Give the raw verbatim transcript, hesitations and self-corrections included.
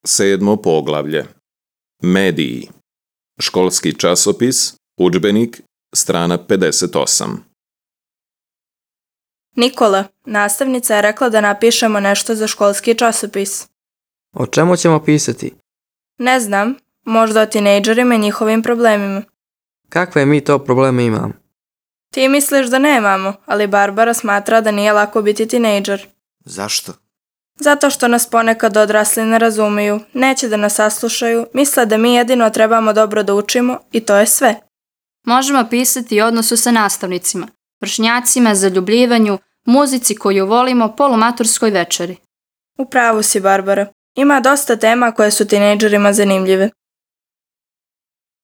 Sedmo poglavlje. Mediji. Školski časopis, udžbenik, strana pedeset osam. Nikola, nastavnica je rekla da napišemo nešto za školski časopis. O čemu ćemo pisati? Ne znam, možda o tinejdžerima i njihovim problemima. Kakve mi to probleme imamo? Ti misliš da nemamo, ali Barbara smatra da nije lako biti tinejdžer. Zašto? Zato što nas ponekad odrasli ne razumiju, neće da nas saslušaju, misle da mi jedino trebamo dobro da učimo i to je sve. Možemo pisati o odnosu sa nastavnicima, vršnjacima, zaljubljivanju, muzici koju volimo, polumaturskoj večeri. U pravu si, Barbara. Ima dosta tema koje su tinejdžerima zanimljive.